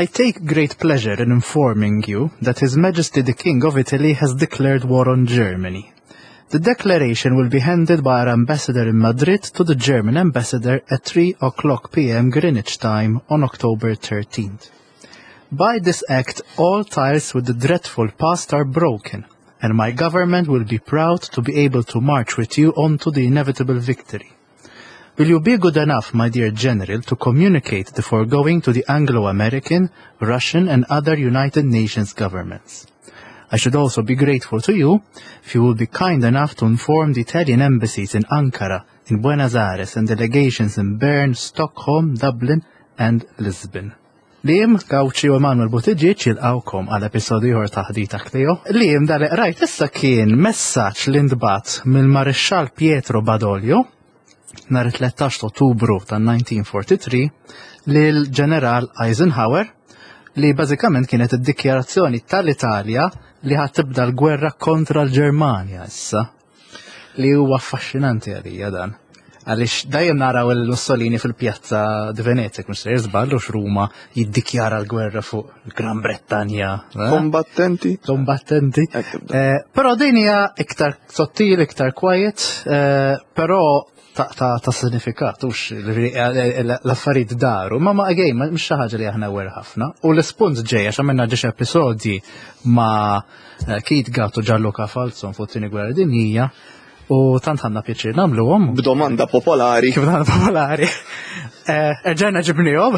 I take great pleasure in informing you that His Majesty the King of Italy has declared war on Germany. The declaration will be handed by our ambassador in Madrid to the German ambassador at 3 o'clock p.m. Greenwich time on October 13th. By this act, all ties with the dreadful past are broken, and my government will be proud to be able to march with you on to the inevitable victory. Will you be good enough, my dear General, to communicate the foregoing to the Anglo-American, Russian and other United Nations governments? I should also be grateful to you if you will be kind enough to inform the Italian embassies in Ankara, in Buenos Aires and delegations in Bern, Stockholm, Dublin and Lisbon. Liam Gauci u Emanuel Buttigieg jilqawkom għal episodju ieħor ta' Ħdita Kleo. Liam dal rajt issa kien messaġġ li ntbagħat mill-Marixxall Pietro Badoglio nhar 13 Ottubru tan-1943 lil Ġeneral Eisenhower li bażikament kienet id-dikjarazzjoni tal-Italja li ħad tibda l-gwerra kontra l-Ġermanja issa. Li huwa affaxxinanti għalija dan. Għaliex dejjem naraw il-Mussolini fil-pjazza di Venezia, mhux se jiżball u Ruma jiddikjara l-gwerra fuq il-Gran Brettanja. Eh? Kombattenti. Kombattenti. Eh, però din hija iktar sottili, iktar quiet, eh, però ta', ta, ta sinifikat, ux l-affarijiet daru, ma ma again, mhux xi ħaġa li aħna wer ħafna. U l-ispunt ġej għax għamilna ġiex episodji ma' eh, Keith Gatt u Gianluca Falzon fuq tieni gwerra dinjija u tant ħanna pjaċir nagħmluhom. B'domanda popolari. Kif domanda popolari. Eh, erġajna ġibnihom.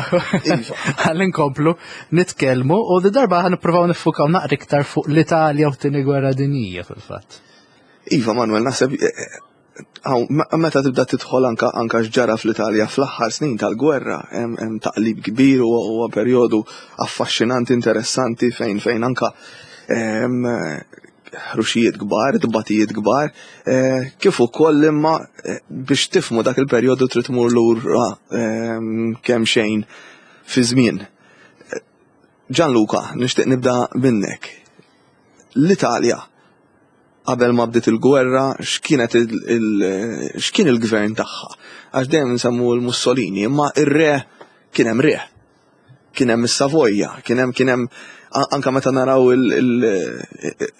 Iva. Ħalli nkomplu nitkellmu u di darba ħan nippruvaw niffukaw naqra iktar fuq l-Italja u t-tieni gwerra dinjija fil-fatt. Iva Manuel, naħseb eh, Meta tibda tidħol anka anka x'ġara fl-Italja fl-aħħar snin tal-gwerra, hemm taqlib kbir u huwa perjodu affaxxinanti, interessanti fejn fejn anka ħruxijiet kbar, tbatijiet kbar, eh, kif ukoll imma eh, biex tifmu dak il-perjodu trid tmur lura kemm xejn fi żmien. Gianluca, nixtieq nibda minnek. L-Italja qabel ma bdiet il-gwerra x'kienet x'kien il-gvern tagħha. Għax dejjem nsemmu l-Mussolini, imma ir-re kien hemm re. Kien hemm is-Savoja, kien hemm kien hemm anka meta naraw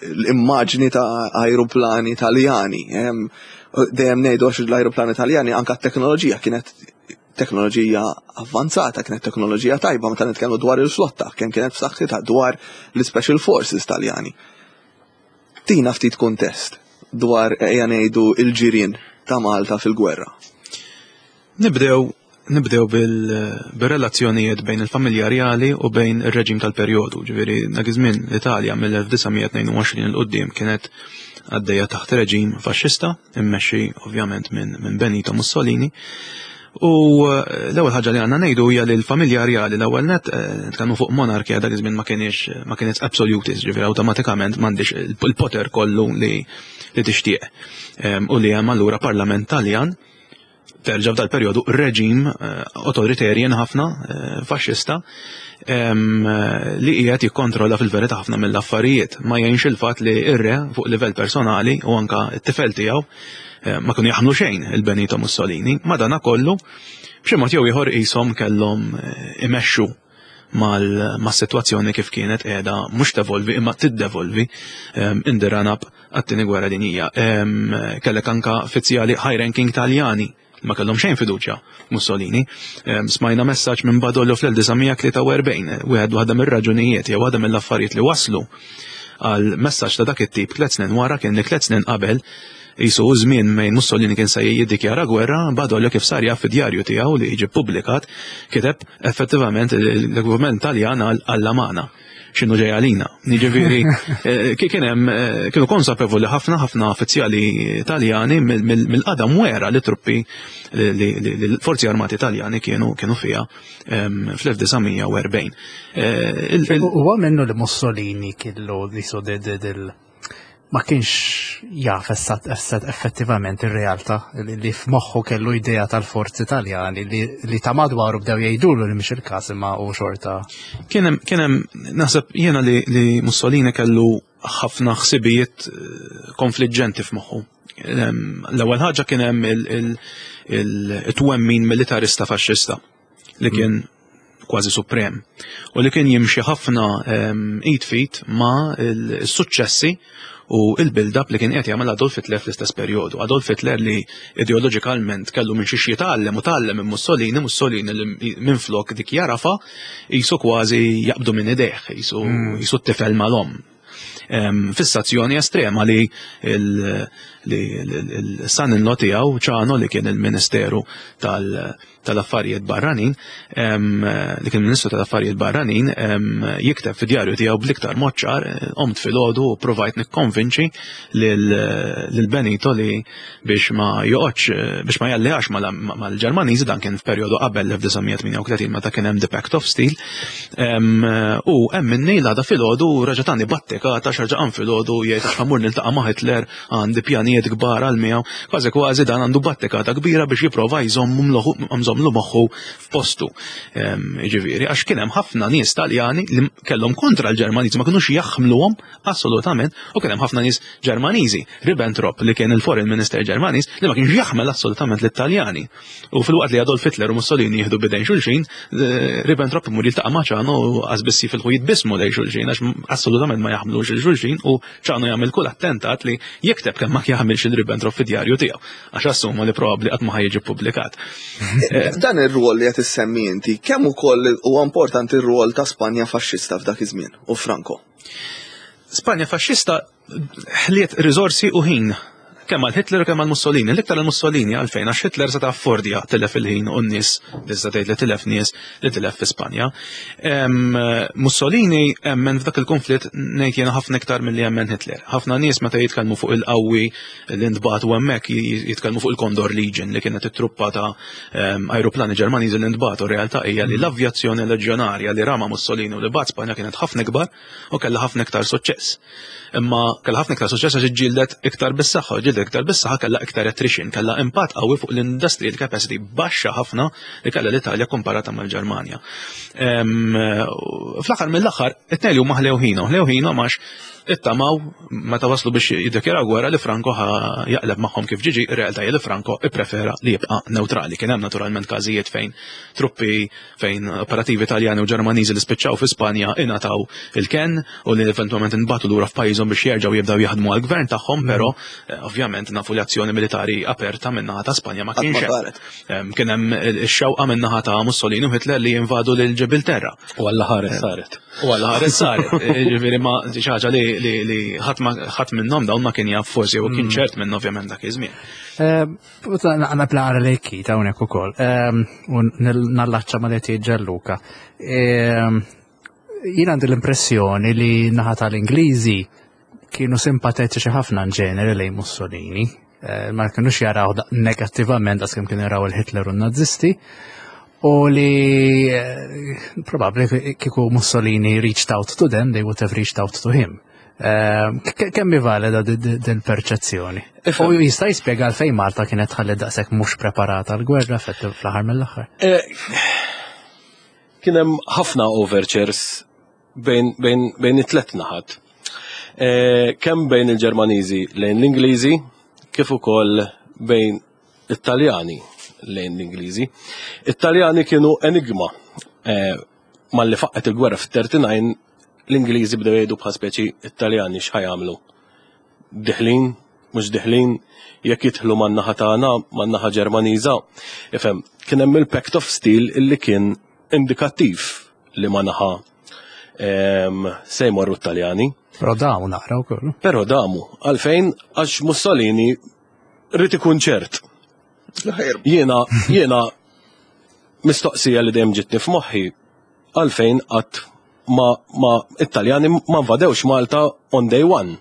l-immaġni ta' ajruplani Taljani, dejjem ngħidu għax l-ajruplani Taljani anka t-teknoloġija kienet teknoloġija avvanzata, kienet teknoloġija tajba meta nitkellmu dwar il-flotta, kemm kienet b'saħħitha dwar l-Special Forces Taljani. Tina ftit kuntest dwar ejja ngħidu il-ġirien ta' Malta fil-gwerra. Nibdew nibdew bil-relazzjonijiet bejn il-familja rjali u bejn ir-reġim tal-perjodu. Ġifieri dak iż-żmien l-Italja mill-1922 il quddiem kienet għaddejja taħt reġim faxxista, immexxi ovvjament minn Benito Mussolini. U eh, l-ewwel ħaġa li għandna ngħidu hija li l-familja rjali l-ewwel net eh, nitkellmu fuq monarkija dak iż-żmien ma kienx ma kienet absolutist, ġifieri awtomatikament m'għandix il-poter kollu li li tixtieq. Ehm, u li hemm allura parlament Taljan terġa' f'dal perjodu reġim eh, authoritarian ħafna, faxxista, ehm, li qiegħed jikkontrolla fil-verità ħafna mill-affarijiet. Ma jgħinx il-fatt li ir-re fuq livell personali u anka t-tifel tiegħu Eh, ma kienu jaħmlu xejn il-Benito Mussolini, madana kollu b'xi mod jew ieħor qishom kellhom eh, imexxu mal-sitwazzjoni kif kienet qiegħda mhux tevolvi imma tiddevolvi ehm, in the run-up għat-tieni gwerra dinjija. Ehm, kellek anka fizzjali high ranking Taljani ma kellhom xejn fiduċja Mussolini. Ehm, smajna messaġġ minn Badoglio fl-1943, wieħed waħda mir-raġunijiet jew waħda mill-affarijiet li waslu għal messaġġ ta' dak it-tip tliet snin wara kien li tliet snin qabel jisu żmien mejn Mussolini kien se jiddikjara gwerra, Badoglio kif sar jaf fid-djarju tiegħu li jiġi ppubblikat kiteb effettivament il-gvern Taljan għal Alla magħna x'inhu ġej għalina. Jiġifieri eh, kien hemm eh, kienu konsapevoli ħafna ħafna uffiċjali Taljani mill-qadam wera li truppi li l-forzi armati Taljani kienu kienu fiha ehm, fl-1940. Eh, huwa minnu li Mussolini kellu li so del ma kienx jaf essat effettivament ir-realtà li f'moħħu kellu idea tal-forzi Taljani li ta' madwaru bdew jgħidulu li mhix il-każ imma u xorta. Kien hemm naħseb jiena li Mussolini kellu ħafna ħsibijiet eh, konfliġġenti f'moħħu. L-ewwel ħaġa kien hemm il-twemmin militarista faxxista li kien mm. kważi suprem u li kien jimxi ħafna id f'id ma' l-suċċessi u il-build-up li kien qed jagħmel Adolf Hitler fl-istess perjodu. Adolf Hitler li ideoloġikalment kellu minn xiex jitgħallem u tgħallem minn Mussolini, Mussolini li minflok dik jarafa qisu kważi jaqbdu minn idejh, qisu qisu t-tifel mal-omm. Fissazzjoni estrema li l-son-in-law tiegħu Ciano li kien il-Ministeru tal-Affarijiet Barranin, li kien Ministru tal-Affarijiet Barranin, jikteb fid-djarju tiegħu bl-iktar mod ċar, qomt filgħodu u provajt nikkonvinċi lil Benito li biex ma joqgħodx biex ma jalliax mal-Ġermaniżi, dan kien f'perjodu qabel l-1938 meta kien hemm the Pact of Steel, u hemm minni l-għada filgħodu reġa' tani battikata x'reġa' qam filgħodu jgħid għax ħa mmur niltaqa' ma' Hitler, għandi pjanijiet kbar għal miegħu, kważi kważi dan għandu battikata kbira biex jipprova jżommlu moħħu f'postu. Jiġifieri, għax kien hemm ħafna nies Taljani li kellhom kontra l-Ġermaniżi, ma kinux jaħmluhom assolutament, u kien hemm ħafna nies Ġermaniżi, Ribbentrop li kien il-Foreign Minister Ġermaniż li ma kienx jaħmel assolutament lit-Taljani. U filwaqt li Adolf Hitler u Mussolini jieħdu bidejn xulxin, Ribbentrop imur jiltaqa' ma' Ciano u qas biss jifilħu jitbissmu lejn xulxin għax assolutament ma jaħmlux lil xulxin u Ciano jagħmel kull attentat li jikteb kemm ma jaħmilx il Ribbentrop fid-djarju tiegħu għax assuma li probabbli qatt ma ħa jiġi ppubblikat. Dan ir-rwol li qed issemmi inti, kemm ukoll huwa importanti r-rwol ta' Spanja faxxista f'dak iż-żmien u Franco? Spanja faxxista ħliet riżorsi u ħin kemm għal Hitler u kemm għal Mussolini. L-iktar għal Mussolini għalfejn għax Hitler seta' affordja tilef il-ħin u n-nies, tista' tgħid li tilef nies li tilef fi Spanja. Mussolini emmen f'dak il-konflitt ngħid jiena ħafna iktar milli emmen Hitler. Ħafna nies meta jitkellmu fuq il-qawwi li ntbagħtu hemmhekk jitkellmu fuq il-Condor Legion li kienet it-truppa ta' ajruplani Ġermaniżi li ntbagħtu. Realtà hija li l-avjazzjoni leġjonarja li rama Mussolini u li bagħat Spanja kienet ħafna ikbar u kellha ħafna iktar suċċess. Imma kellha ħafna iktar suċċess għax iġġieldet iktar bis-saħħa, ġġieldet iktar bis-saħħa kellha iktar attrition, kellha impatt qawwi fuq l-industrial capacity baxxa ħafna li kellha l-Italja komparata mal-Ġermanja. Fl-aħħar mill-aħħar, it-tnejn li huma ħlew ħinhom, ħlew ħinhom għax ittamaw meta waslu biex jiddikjaraw gwerra li Franco ħa jaqleb magħhom kif ġiġi, ir-realtà li Franco ipprefera li jibqa' neutrali. Kien hemm naturalment każijiet fejn truppi fejn operattivi Taljani u Ġermaniżi li spiċċaw fi Spanja ingħataw il-kenn u li eventwalment inbagħtu lura f'pajjiżhom biex jerġgħu jibdew jaħdmu għall-gvern tagħhom, però ovvjament nafu li azzjoni militari aperta min-naħa ta' Spanja ma kienx hemm. Kien hemm ix-xewqa min-naħa ta' Mussolini u Hitler li jinvadu lil Ġibilterra. U Alla ħares saret. U Alla ħares saret. Ġifieri ma xi ħaġa li ħadd minnhom dawn ma kien jaf forsi u kien ċert minn ovvjament dak iż-żmien. Għana plara li kita unek u koll. U nallaċċa ma li Gianluca. Jien għandi l-impressjoni li naħa tal-Ingliżi kienu simpatetiċi ħafna in ġeneri lejn Mussolini. Ma kienux jaraw negattivament daqs kemm kienu jaraw il-Hitler u n-Nazisti. U li probabbli kieku Mussolini reached out to them, they would have reached out to him. Kemm hi valida din perċezzjoni? U jista' jispjega għalfejn Malta kienet ħalli daqshekk mhux preparata l-gwerra fl-aħħar mill-aħħar? Kien hemm ħafna overtures bejn it-tlet naħat. Kemm bejn il-Ġermaniżi lejn l-Ingliżi, kif ukoll bejn it-Taljani lejn l-Ingliżi. It-Taljani kienu enigma. Malli faqqet il-gwerra fit-39, l-Ingliżi bdew jgħidu bħal speċi it-Taljani x'ħa jagħmlu. Diħlin, mhux diħlin, jekk jidħlu man-naħa tagħna, man-naħa Ġermaniża. Ifhem, kien hemm il-Pact of Steel illi kien indikattiv li ma naħa se jmorru t-Taljani. Però damu naqra wkoll. Però damu, għalfejn għax Mussolini rrid ikun ċert. Jiena, jiena mistoqsija li dejjem ġitni f'moħħi għalfejn qatt ma, ma it-Taljani ma invadewx Malta on day one.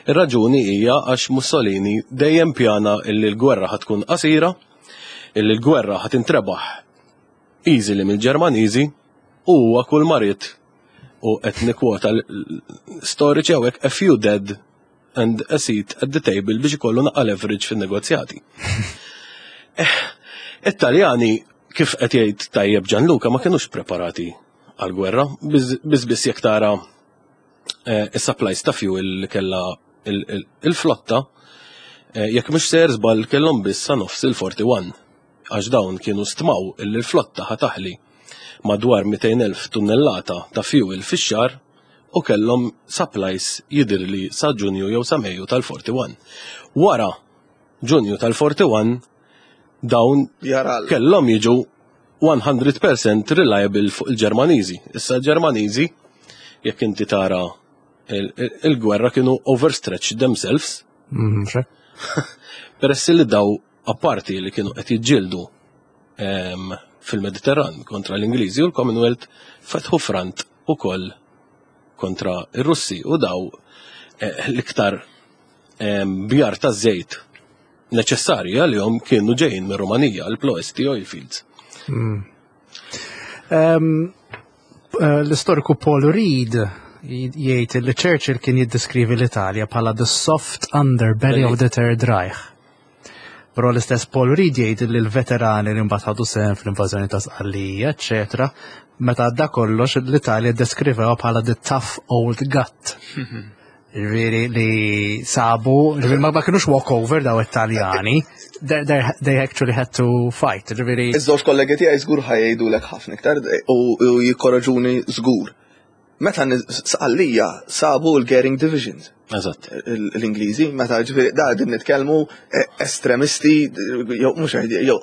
Ir-raġuni hija għax Mussolini dejjem pjana illi l-gwerra ħa tkun qasira, illi l-gwerra ħa tintrebaħ easily mill-Ġermaniżi u huwa kull ma ried u qed nikkwota storiċi hawnhekk a few dead and a seat at the table biex ikollu naqqa leverage fin-negozjati. It-Taljani kif qed jgħid tajjeb Gianluca ma kinux preparati għal-gwerra, biss biss jekk tara is-supplies ta' fuel li kellha il-flotta, jekk mhux sejjer żball kellhom biss sa nofs il-41 għax dawn kienu stmaw illi l-flotta ħa taħli. madwar 200,000 tunnellata ta' fuel fix-xahar u kellhom supplies jidhirli sa Ġunju jew sa Mejju tal-41. Wara Ġunju tal-41 dawn kellhom jiġu 100% reliable fuq il-Ġermaniżi. Issa l-Ġermaniżi jekk inti tara il-gwerra kienu overstretched themselves. Mm, Peress li daw apparti li kienu qed jiġġieldu fil-Mediterran kontra l-Ingliżi u l-Commonwealth fetħu front ukoll kontra ir-Russi u daw eh, l-iktar bjar ta' żejt neċessarji għalihom kienu ġejjin mir Rumanija l-Ploesti Oil Fields. Hmm. Eh, l-istoriku Paul Reid jgħid li Churchill kien jiddeskrivi l-Italja bħala the soft underbelly of the Third Reich. Però l-istess Paul Reid jgħid li l-veterani li mbagħad ħadu sehem fl-invażjoni ta' Sqallija, eċetera, meta għadda kollox l-Italja ddeskrivewa bħala the tough old gut. Ġifieri li sabu, ġifieri ma kienux walkover daw it-Taljani, they actually had to fight, ġifieri. Iż-żewġ kollegi tiegħi żgur ħajjgħidulek ħafna iktar u jikkoraġuni żgur. Meta Sqallija sabu l-Goering Divisions. Eżatt. L-Ingliżi, meta ġifieri da qegħdin nitkellmu eh, estremisti jew mhux jew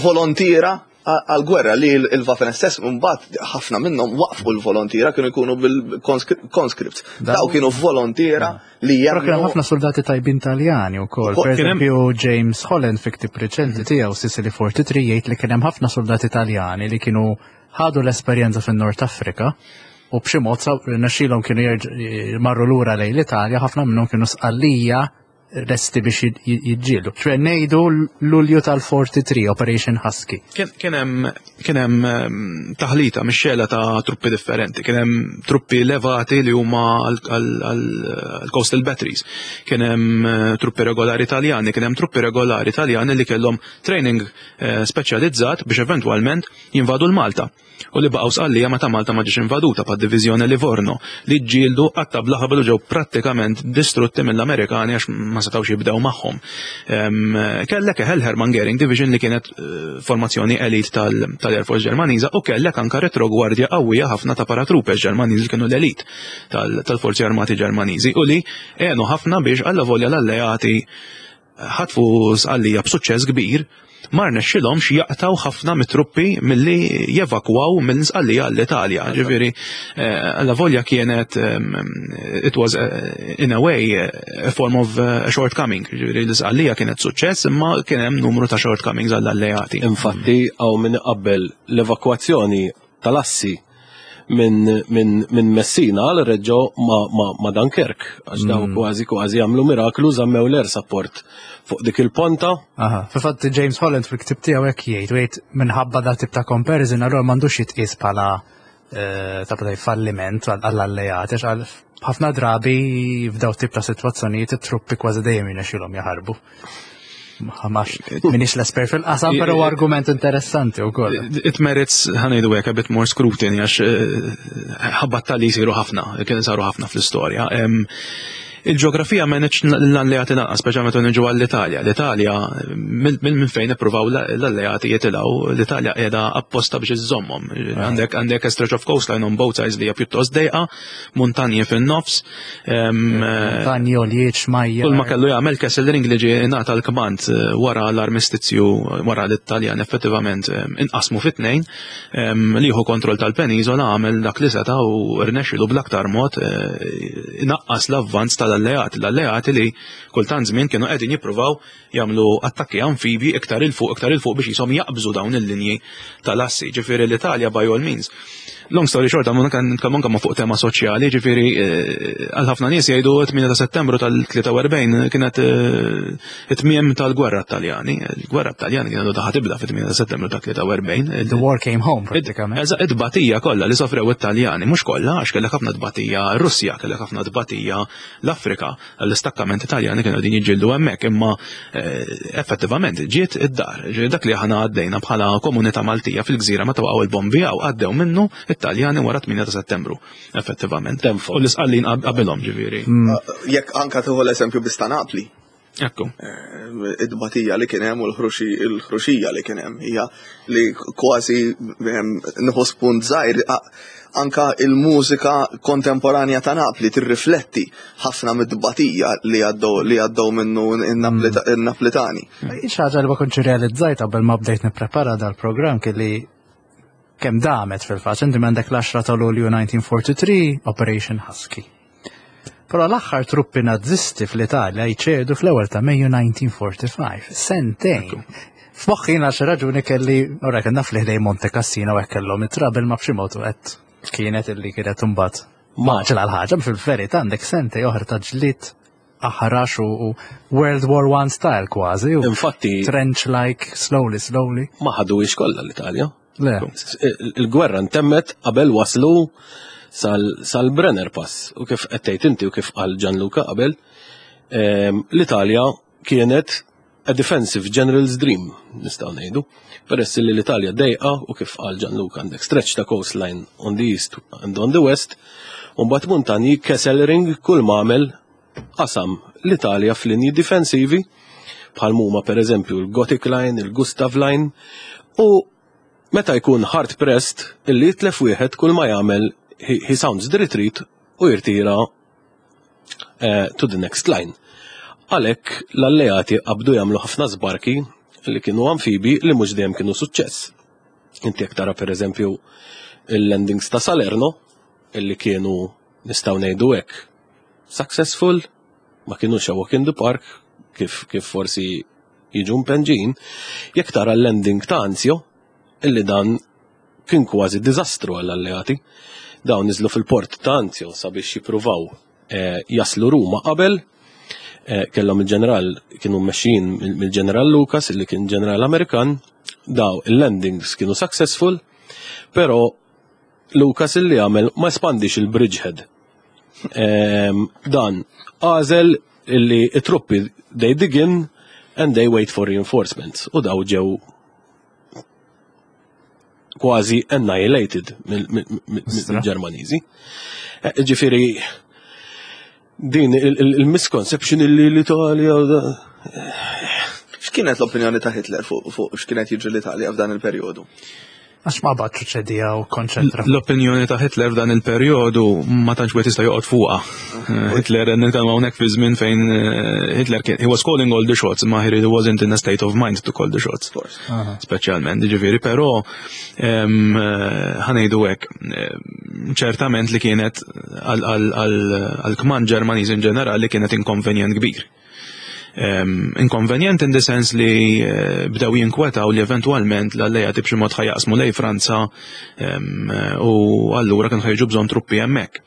volontiera għal-gwerra li l-Waffen SS mbagħad ħafna minnhom waqfu l-volontiera kienu jkunu bil-conscripts. Daw kienu volontiera li jemmnu. Kien ħafna soldati tajbin Taljani wkoll. Per eżempju James Holland fi ktib reċenti tiegħu Sicily 43 jgħid li kien hemm ħafna soldati Taljani li kienu ħadu l-esperjenza fin-Nord Afrika u b'xi mod rnexxielhom kienu marru lura lejn l-Italja, ħafna minnhom kienu sqallija lesti biex jiġġieldu. ċwe ngħidu Lulju tal-43 Operation Husky. Kien hemm ehm, taħlita mix-xela ta' truppi differenti, kien hemm truppi levati li huma għall-coastal batteries, kien hemm eh, truppi regolari Taljani, kien hemm truppi regolari Taljani li kellhom training eh, speċjalizzat biex eventwalment jinvadu l-Malta u li baqgħu Sqallija meta Malta ma ġiex invaduta bħad-Diviżjoni Livorno li ġġieldu qatta' bla ħabel u ġew prattikament distrutti mill-Amerikani għax ma setgħux jibdew magħhom. Kellek eħel Hermann Goering Division li kienet eh, formazzjoni elit tal-Air Force Ġermaniża u kellek anka retrogwardja qawwija ħafna ta' paratroopers Ġermaniżi li kienu l-elit tal-Forzi Armati Ġermaniżi u li għenu ħafna biex alla volja l-alleati ħatfu Sqallija b'suċċess kbir, ma rnexxilhomx jaqtgħu ħafna mit-truppi milli jevakwaw minn Sqallija għall-Italja. Ġifieri, eh, alla volja kienet eh, it was eh, in a way a form of shortcoming. Ġifieri l-Sqallija kienet suċċess imma kien hemm numru ta' shortcomings għall-alleati. Infatti hawn min iqabbel l-evakwazzjoni tal-assi minn min, min Messina għal Reggio ma, ma, ma Dunkirk, għax daw mm. kważi kważi għamlu miraklu żammew l-air support fuq dik il-ponta. Aha, fil-fatt James Holland fil-ktib tiegħu hekk jgħid, jgħid minħabba da tip ta' comparison allura m'għandux jitqies bħala eh, ta' falliment għall-alleati, għal ħafna drabi f'daw tip ta' sitwazzjonijiet it-truppi kważi dejjem jirnexxilhom jaħarbu. Max, minix l-esper fil-qasam, pero argument interessanti u koll. It merits, ħanejdu għek, a bit more scrutiny, għax eh, ħabbat tal jisiru ħafna, kien saru ħafna fl-istoria. Il-ġeografija ma neċ l-alleati lanqas, speċjalment meta niġu għall-Italja. L-Italja, minn fejn ippruvaw l-alleati jitilgħu, l-Italja qiegħda apposta biex iżżommhom. Għandek għandek a stretch of coastline on both sides li hija pjuttost dejqa, muntanji fin-nofs. Muntanji għoljiet xmajja. Kull ma kellu jagħmel Kesselring li ġie ingħata l-kmand eh, wara l-armistizju wara l-Italjan effettivament inqasmu fit-tnejn li jieħu kontroll tal-peniżola għamel dak li seta' u rnexxilu bl-aktar mod eh, inaqqas l-avvanz tal-alleati. L-alleati li kultant żmien kienu qegħdin jippruvaw jagħmlu attakki amfibi iktar 'il fuq iktar 'il fuq biex jisom jaqbżu dawn il-linji tal-assi. Ġifieri l-Italja by all means. Long story short, għamlu nitkellmu anke ma' fuq tema soċjali, ġifieri eh, għal ħafna nies jgħidu 8 ta' Settembru tal-43 kienet eh, it-tmiem tal-gwerra Taljani. Il-gwerra Taljani kienet daħat tibda fit-8 ta' Settembru tal-43. The war came home pratikament. Eżatt, it-tbatija kollha li sofrew it-Taljani, mhux kollha, għax kellek ħafna tbatija Russja, kellek ħafna tbatija l-Afrika. L-istakkament Taljani kienu qegħdin jiġġieldu hemmhekk, imma eh, effettivament ġiet id-dar. Ġiet dak li aħna għaddejna bħala komunità Maltija fil-gżira meta waqgħu il-bombi hawn għaddew minnu it-Taljani wara 8 ta' Settembru, effettivament. U l-isqallin qabilhom ġifieri. Mm. Jekk anka tieħu l-eżempju biss ta' Napli. Ekku. Id-batija li kien hemm u l-ħruxija li kien hemm hija li kważi nieħu spunt żgħir anka il-mużika kontemporanja ta' Napli tirrifletti ħafna mid-batija li għaddew li għaddew minnu n-Naplitani. Xi ħaġa li ma kontx realizzajt qabel ma bdejt nipprepara dal-programm kelli kemm damet fil-fatt, inti m'għandek l-10 ta' Lulju 1943 Operation Husky. Però l-aħħar truppi nazisti fl-Italja jċedu fl-ewwel ta' Mejju 1945, sentejn. F'moħħi għal xi raġuni kelli, ora kien naf li ħdej Monte Cassino hekk kellhom it-trouble ma b'xi mod qed kienet illi kienet imbagħad maġla l-ħaġa fil-verità għandek sentej oħra ta' ġlied aħrax u World War One style kważi. Infatti trench-like, slowly, slowly. Ma ħaduhiex kollha l-Italja. Le. Il-gwerra ntemmet qabel waslu sal-Brenner Pass u kif qed tgħid inti u kif qal Gianluca qabel, l-Italja kienet a defensive general's dream, nistgħu ngħidu. Peress li l-Italja dejqa u kif qal Gianluca għandek stretch ta' coastline on the east and on the west, u mbagħad muntanji Kesselring kull m'għamel qasam l-Italja f'linji difensivi bħal huma pereżempju l-Gothic Line, il-Gustav Line, u meta jkun hard pressed illi jitlef wieħed kull ma jagħmel he sounds the retreat u jirtira to the next line. Għalhekk l-alleati qabdu jagħmlu ħafna żbarki li kienu amfibi li mhux dejjem kienu suċċess. Inti jekk tara pereżempju il-landings ta' Salerno illi kienu nistgħu ngħidu hekk successful, ma kienux a walk in the park kif, kif forsi jiġu mpenġin, jekk tara l-landing ta' Anzio, illi dan kien kważi diżastru għall-alleati. Dawn niżlu fil-port ta' Anzio sabiex jippruvaw eh, jaslu Ruma qabel, eh, kellhom il-ġeneral kienu mmexxijin mill-ġeneral Lucas illi kien ġeneral Amerikan, daw il-landings kienu successful, però Lucas illi għamel ma espandix il-bridgehead. Ehm, dan għażel illi it-truppi they dig in and they wait for reinforcements u daw ġew kważi annihilated mill-Ġermaniżi. Eh, ġifieri din il-misconception illi l-Italja X'kienet l-opinjoni ta' Hitler fuq x'kienet jiġri l-Italja f'dan il-perjodu? Għax ma batx ċedija u konċentra. L-opinjoni ta' Hitler f'dan il-perjodu ma tantx wieħed jista' joqgħod fuqha. Hitler nitkellmu hawnhekk fi żmien fejn eh, Hitler kien he was calling all the shots, ma he really wasn't in a state of mind to call the shots. Speċjalment, ġifieri, però eh, ħanejdu hekk, eh, ċertament li kienet għal-kmand Ġermaniż in ġenerali kienet inkonvenjent kbir. Inkonvenjent in the sense li eh, bdew jinkwetaw li eventwalment l-alleati b'xi mod ħajaqsmu lej Franza u allura kienu ħajġu bżonn truppi hemmhekk.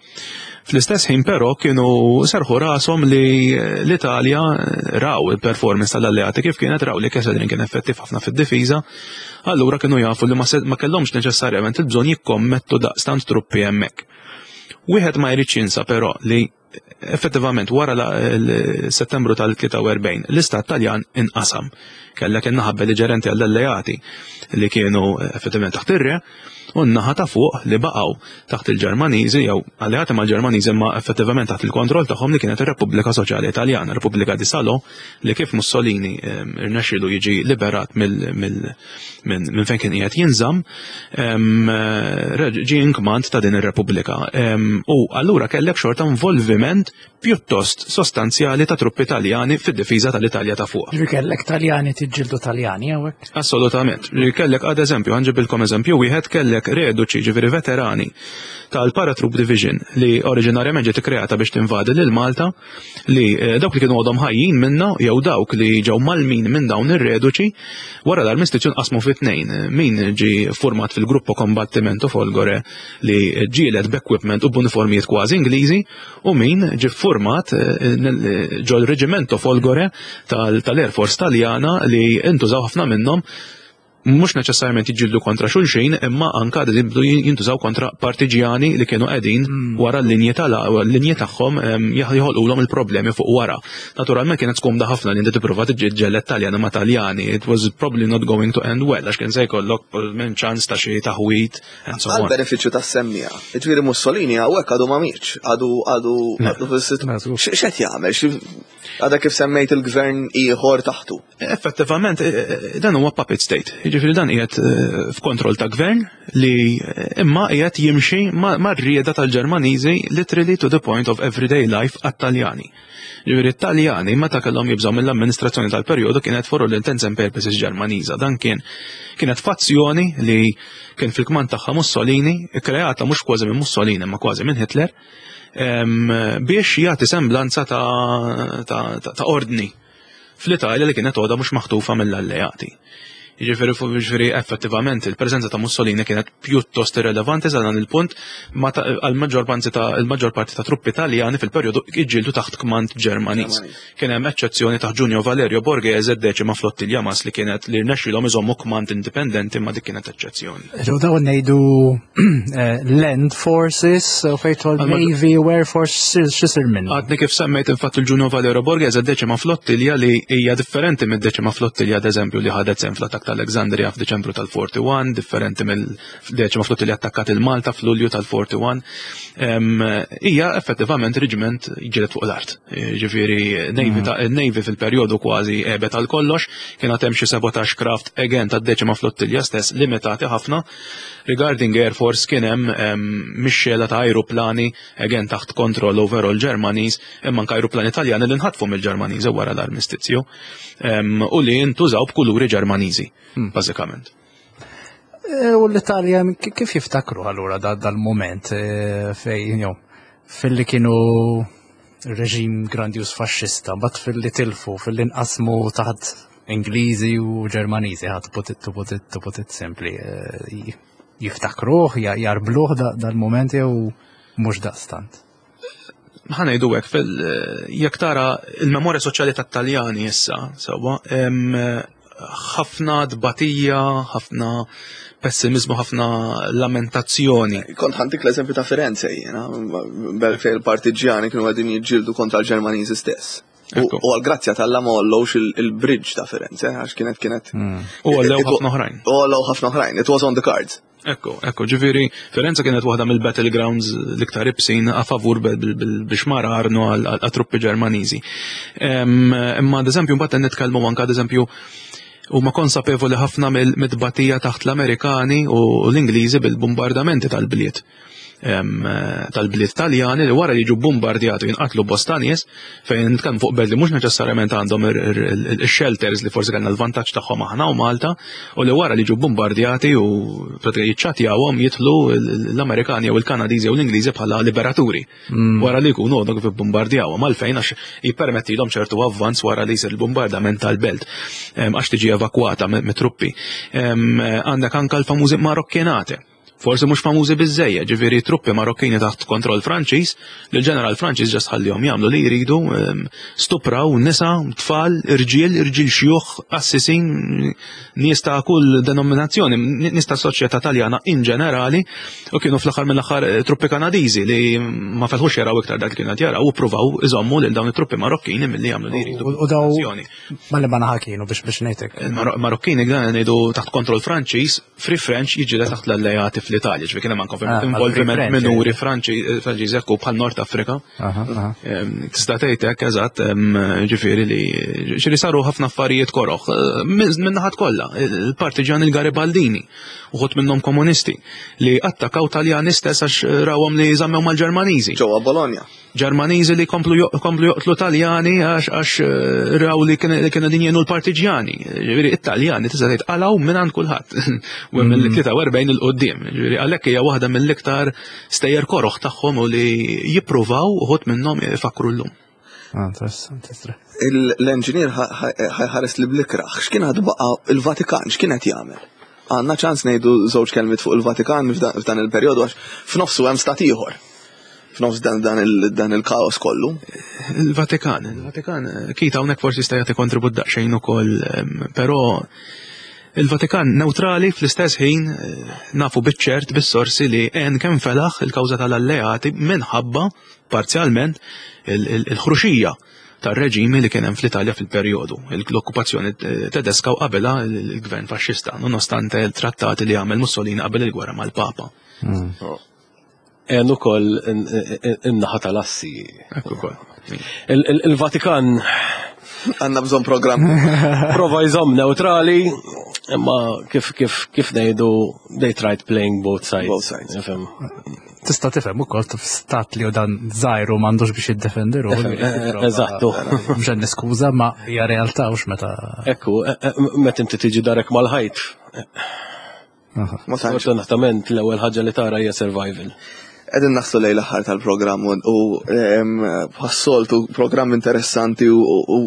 Fl-istess ħin però kienu serħu rashom li l-Italja eh, raw il-performance tal-alleati kif kienet raw li Kesselring kien effettiv ħafna fid-difiża, allura kienu jafu li ma kellhomx neċessarjament il-bżonn jikkommettu daqstant truppi hemmhekk. Wieħed ma jridx jinsa però li effettivament wara settembru tal-43 l-istat Taljan inqasam. Kellek in-naħa belliġerenti għall-alleati li kienu effettivament taħt ir-re u n-naħa ta' fuq li baqgħu taħt il-Ġermaniżi jew alleati mal-Ġermaniżi imma effettivament taħt il-kontroll tagħhom li kienet ir-Repubblika Soċjali Taljana, Repubblika di Salò, li kif Mussolini ehm, irnexxielu jiġi liberat minn fejn kien qiegħed jinżamm, ehm, ġie inkmand ta' din ir-Repubblika. Ehm, u allura kellek xorta involviment pjuttost sostanzjali ta' truppi Taljani fid-difiża tal-Italja ta' fuq. Ġifieri kellek Taljani tiġġieldu Taljani hawnhekk? Assolutament. Ġifieri kellek ad eżempju, ħanġibilkom eżempju wieħed kellek reduċi ġifieri veterani tal-Paratroop Division li oriġinarjament ġiet ikkreata biex tinvadi lil Malta li eh, dawk li kienu għadhom ħajjin minna jew dawk li ġew malmin minn dawn ir-reduċi wara l-armistizju nqasmu fi tnejn. Min ġi format fil-gruppo Combattimento Folgore li ġielet b'equipment u b'uniformijiet kważi Ingliżi u min ġi format eh, ġol Reggimento Folgore tal-Air Force Taljana li intużaw ħafna minnhom. Mhux neċessarjament jiġġieldu kontra xulxin, imma anka jibdu jintużaw kontra partiġjani li kienu qegħdin wara l-linji tal-linji tagħhom joħolqulhom il-problemi fuq wara. Naturalment kienet skomda ħafna li inti tipprova tiġġieled Taljani ma' Taljani. It was probably not going to end well għax kien se jkollok minn ċans ta' xi taħwit and so on. Għal benefiċċju tas-semmiegħa. Ġifieri Mussolini hawnhekk għadu ma mietx, għadu għadu għadu fis-sit. X'qed jagħmel? Għadha kif semmejt il-gvern ieħor taħtu. Effettivament, dan huwa puppet state. Jiġifieri dan qiegħed f'kontroll ta' gvern li imma qiegħed jimxi mar-rieda tal-Ġermaniżi literally to the point of everyday life għat-Taljani. Ġifieri t-Taljani meta kellhom jibżgħu mill-amministrazzjoni tal-perjodu kienet for all intents and purposes Ġermaniża. Dan kienet fazzjoni li kien fil-kmand tagħha Mussolini, kreata mhux kważi minn Mussolini ma kważi minn Hitler, biex jagħti semblanza ta' ordni fl-Italja li kienet għodha mhux maħtufa mill-alleati. Jiġifieri effettivament il-preżenza ta' Mussolini kienet pjuttost irrelevanti sa dan il-punt għal-maġġor parti ta' il-maġġor parti ta' truppi Taljani fil-perjodu iġġieldu taħt kmand Ġermaniż. Kien hemm eċċezzjoni ta' Giulio Valerio Borghese deċima flottilja mas li kienet li rnexxilhom iżommu kmand indipendenti ma dik kienet eċċezzjoni. Ġew dawn ngħidu land forces, u fejn Navy u Air Force x'isir minnu. Għadni kif semmejt infatti il-Giulio Valerio Borghese deċima flottilja li hija differenti mid-deċima flottilja ad eżempju li ħadet sehem fl-attak tal-Alexandria f'Diċembru tal-41, differenti mill-deċima flottilja attakkat il-Malta f'Lulju tal-41. Hija effettivament reġiment ġiet fuq l-art. Ġifieri Navy ta' Navy fil-perjodu kważi għebet għal kollox, kien hemm xi sabotage craft again tad-deċima flottilja stess limitati ħafna. Regarding Air Force kien hemm mixxela ta' aeroplani again taħt kontroll overall Ġermaniż, imma anke aeroplani Taljani li nħatfu mill-Ġermaniżi wara l-armistizju u li ntużaw b'kuluri Ġermaniżi, bażikament. U l-Italja kif jiftakru allura dal-moment fej, fil-li kienu reġim grandjus faxxista, but fil-li tilfu, fil-li nqasmu taħt Ingliżi u Ġermaniżi, ħadd put it to put it to put it simply. Jiftakruh, jarbluh dal-moment jew mhux daqstant? Ħa ngħidu hekk fil jekk tara il-memorja soċjali tat-Taljani issa, sewwa, ħafna tbatija, ħafna pessimizmu, ħafna lamentazzjoni. Kont ħa ntik l-eżempju ta' Firenze jiena, fejn il-partiġjani kienu qegħdin jiġġieldu kontra l-Ġermaniżi stess. U għal-grazzja t'Alla ma għollewx il-bridge ta' Firenze, għax kienet. U għollew ħafna oħrajn. U għollew ħafna oħrajn, it was on the cards. Ekku, ġifieri, Firenze kienet waħda mill-battlegrounds l-iktar ibsin a favur biex mara Arno għal truppi Ġermaniżi. Imma ad eżempju, mbagħad nitkellmu anke ad eżempju huma konsapevoli ħafna mill-tbatija taħt l-Amerikani u l-Ingliżi bil-bombardamenti tal-bliet. Tal-bliet Taljani li wara li jiġu bombardjati jinqatlu bosta nies fejn nitkellmu fuq belt li mhux neċessarjament għandhom il-shelters li forsi kellna l-vantaġġ tagħhom aħna u Malta u li wara li jiġu bombardjati u pratika jiċċatjawhom jidħlu l-Amerikani jew il-Kanadiżi jew l-Ingliżi bħala liberaturi. Wara li jkunu għodhom kif bombardjawhom għalfejn għax jippermettilhom ċertu avvanz wara li jsir il-bombardament tal-belt għax tiġi evakwata mit-truppi. Għandek anka l-famużi Marokkinate. Forsi mhux famużi biżejjed, ġifieri truppi Marokkini taħt kontroll Franċiż, li l-ġeneral Franċiż ġast ħallihom jagħmlu li jridu, stupraw nisa, tfal, irġiel, irġiel xjuħ, assisin, nies ta' kull denominazzjoni, nies ta' soċjetà Taljana in ġenerali, u kienu fl-aħħar mill-aħħar truppi Kanadiżi li ma felħux jaraw iktar dak li kienu qed jaraw u ppruvaw iżommu lil dawn it-truppi Marokkini milli jagħmlu li jridu. U daw ma li ma naħa kienu biex ngħidlek. Il-Marokkini dan ngħidu taħt kontroll Franċiż, Free French jiġi taħt l-alleati fl-Italja, ġifieri kien hemm anke Ah, involviment għal Free French, minuri Franċiżi ekku bħal Nord Afrika. Aha, aha. Tista' tgħid hekk eżatt, ġifieri li ġifieri saru ħafna affarijiet koroħ minn naħat kollha, il-partiġani il-Garibaldini, uħud minnhom komunisti li attakkaw Taljani stess għax rawhom li żammew mal-Ġermaniżi. Ġewwa Bologna. Ġermaniżi li komplu joqtlu Taljani għax raw li kienu din jenu l-partiġjani. Ġifieri it-Taljani tista' tgħid qalgħu minn għand kulħadd. U mill-43 'il quddiem. Ġifieri għalhekk hija waħda mill-iktar stejjer koroħ tagħhom u li jippruvaw uħud minnhom ifakru llum. Ah, interessanti. L-enġinier ħa jħares li blikraħ, x'kien għadu baqa' il-Vatikan, x'kien qed jagħmel? Għandna ċans ngħidu żewġ kelmiet fuq il-Vatikan f'dan il-perjodu għax f'nofsu hemm stat ieħor. F'nofs dan il-kaos kollu. Il-Vatikan, il-Vatikan, kita hawnhekk forsi jista' jagħti kontribut daqsxejn ukoll, però Il-Vatikan neutrali fl-istess ħin nafu biċ-ċert bis-sorsi li għen kemm felaħ il-kawża tal-alleati minħabba parzjalment il-ħruxija tar-reġimi li kien hemm fl-Italja fil-perjodu, l-okkupazzjoni tedeska u qabilha l-gvern faxxista, nonostante l-trattati li għamel Mussolini qabel il-gwerra mal-Papa. Għen ukoll in-naħa tal-assi. Ekku ukoll. Il-Vatikan Għanna bżon program. Prova jżomm neutrali, imma kif kif kif ngħidu they tried playing both sides. Both sides. Ifhem. Tista' tifhem ukoll stat li dan żgħir u m'għandux biex jiddefendi ruħu. Eżattu. Mhux qed niskuża ma hija realtà hux meta. Ekku, meta inti tiġi darek mal-ħajt. Ma tantx. Fortunatament l-ewwel ħaġa li tara hija survival. Qegħdin naslu lejn l-aħħar tal-programm u bħas-soltu programm interessanti u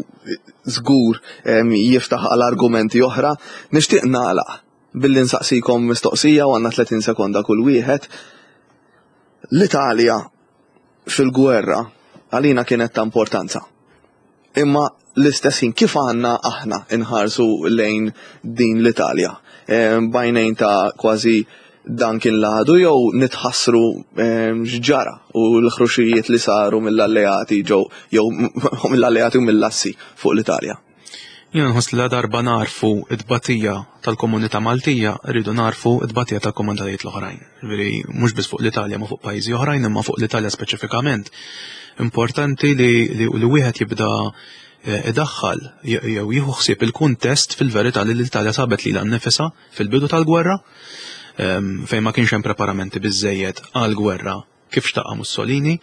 żgur jiftaħ għal argumenti oħra. Nixtieq nagħlaq billi nsaqsikom mistoqsija u għandna 30 sekonda kull wieħed. L-Italja fil-gwerra għalina kienet ta' importanza. Imma l-istess ħin kif għandna aħna nħarsu lejn din l-Italja? B'għajnejn ta' kważi dan kien l-għadu jew nitħassru x'ġara u l-ħruxijiet li saru mill-alleati ġew jew mill-alleati u mill-assi fuq l-Italja? Jiena nħoss li la darba nagħrfu t-tbatija tal-komunità Maltija, rridu nagħrfu t-tbatija tal-komunitajiet l-oħrajn. Ġifieri mhux biss fuq l-Italja ma fuq pajjiżi oħrajn imma fuq l-Italja speċifikament. Importanti li, li, li wieħed jibda eh, idaħħal jew jieħu ħsieb il-kuntest fil-verità li l-Italja sabet lilha nnifisha fil-bidu tal-gwerra ehm, fejn ma kienx hemm preparamenti biżejjed għall-gwerra kif xtaqha Mussolini,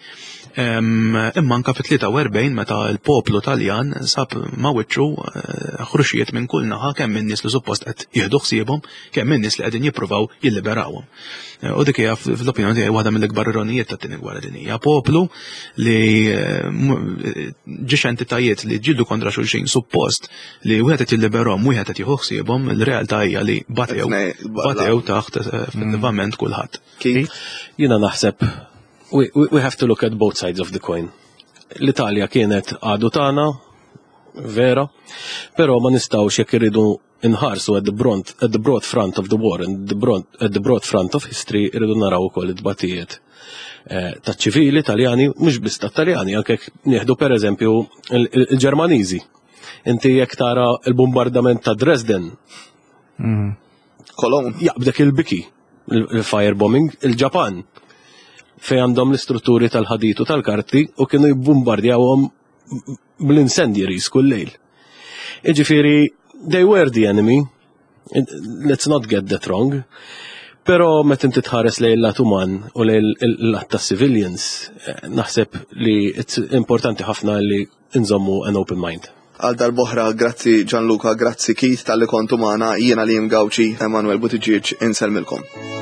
imma anka fit-43 meta l-poplu Taljan sab ma' wiċċu eh, ħruxijiet minn kull naħa kemm minn nies li suppost qed jieħdu ħsiebhom, kemm minn nies li qegħdin jippruvaw jilliberawhom. Eh, u dik hija fl-opinjoni tiegħi waħda mill-ikbar ironijiet tat-tieni gwerra dinjija. Poplu li eh, ġiex entitajiet li ġildu kontra xulxin suppost li wieħed qed jilliberhom, wieħed qed jieħu ħsiebhom, il-realtà hija li batew batew taħt effettivament kulħadd. Keith? Jiena naħseb we, we have to look at both sides of the coin. L-Italja kienet għadu tagħna, vera, però ma nistgħux jekk irridu nħarsu at the broad, at the broad front of the war and the broad, at the broad front of history irridu naraw ukoll it-tbatijiet eh, ta' ċivili Taljani, mhux biss ta' Taljani, anke nieħdu pereżempju il-Ġermaniżi. Inti jekk tara il-bombardament ta' Dresden, mm. Cologne. Jaqbdek il-biki, il-firebombing, il-Ġapan fej għandhom l-istrutturi tal-ħadid u tal-karti u kienu jibbombardjawhom bl-incendiaries kull lejl. Iġifieri, they were the enemy, let's not get that wrong, pero meta inti tħares lejn il-lat uman u lejn il-lat ta' civilians, eh, naħseb li it's importanti ħafna li nżommu an open mind. Għal darb'oħra grazzi Gianluca, grazzi Keith talli kontu magħna, jiena Liam Gauci, Emanuel Buttigieg, insellmilkom.